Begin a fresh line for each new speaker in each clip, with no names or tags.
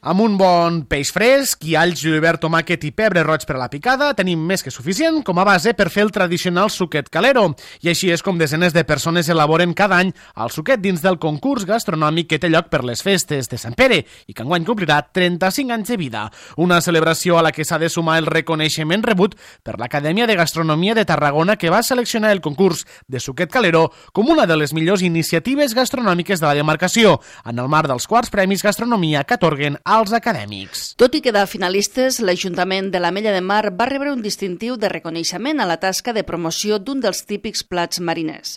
Amb un bon peix fresc i alls, julivert, tomàquet i pebre roig per a la picada, tenim més que suficient com a base per fer el tradicional suquet calero. I així és com desenes de persones elaboren cada any el suquet dins del concurs gastronòmic que té lloc per les festes de Sant Pere i que enguany complirà 35 anys de vida. Una celebració a la que s'ha de sumar el reconeixement rebut per l'Acadèmia de Gastronomia de Tarragona, que va seleccionar el concurs de suquet calero com una de les millors iniciatives gastronòmiques de la demarcació, en el marc dels quarts Premis Gastronomia que atorguen als acadèmics.
Tot i quedar finalistes, l'Ajuntament de l'Ametlla de Mar va rebre un distintiu de reconeixement a la tasca de promoció d'un dels típics plats mariners.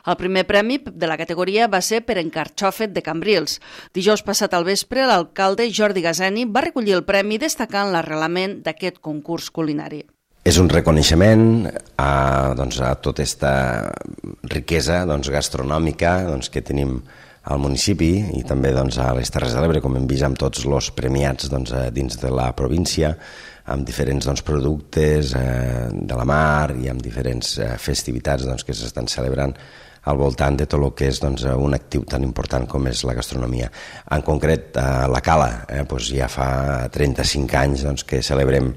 El primer premi de la categoria va ser per encarxofet de Cambrils. Dijous passat al vespre, l'alcalde Jordi Gazeni va recollir el premi destacant l'arrelament d'aquest concurs culinari.
És un reconeixement a tota aquesta riquesa gastronòmica que tenim al municipi i també a les Terres de l'Ebre, com hem vist amb tots els premiats dins de la província, amb diferents productes de la mar i amb diferents festivitats que s'estan celebrant al voltant de tot el que és un actiu tan important com és la gastronomia. En concret, a la Cala, ja fa 35 anys que celebrem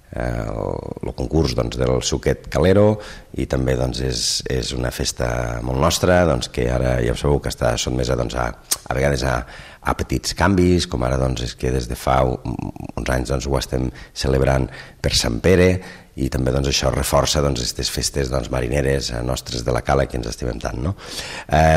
el concurs del suquet calero i també és una festa molt nostra que ara ja sabeu que està sotmesa a vegades a petits canvis, com ara és que des de fa uns anys ho estem celebrant per Sant Pere i també això reforça aquestes festes marineres nostres de la Cala que ens estimem tant.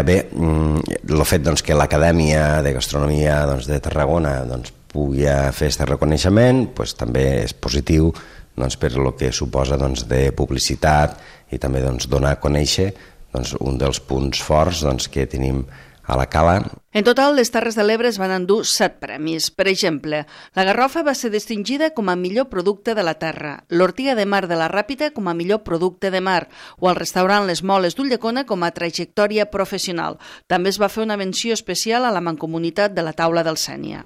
Bé, el fet que l'Acadèmia de Gastronomia de Tarragona pugui fer aquest reconeixement també és positiu per el que suposa de publicitat i també donar a conèixer un dels punts forts que tenim a la Cala.
En total, les Terres de l'Ebre es van endur 7 premis. Per exemple, la garrofa va ser distingida com a millor producte de la terra, l'ortiga de mar de la Ràpita com a millor producte de mar o el restaurant Les Moles d'Ulldecona com a trajectòria professional. També es va fer una menció especial a la Mancomunitat de la Taula del Sénia.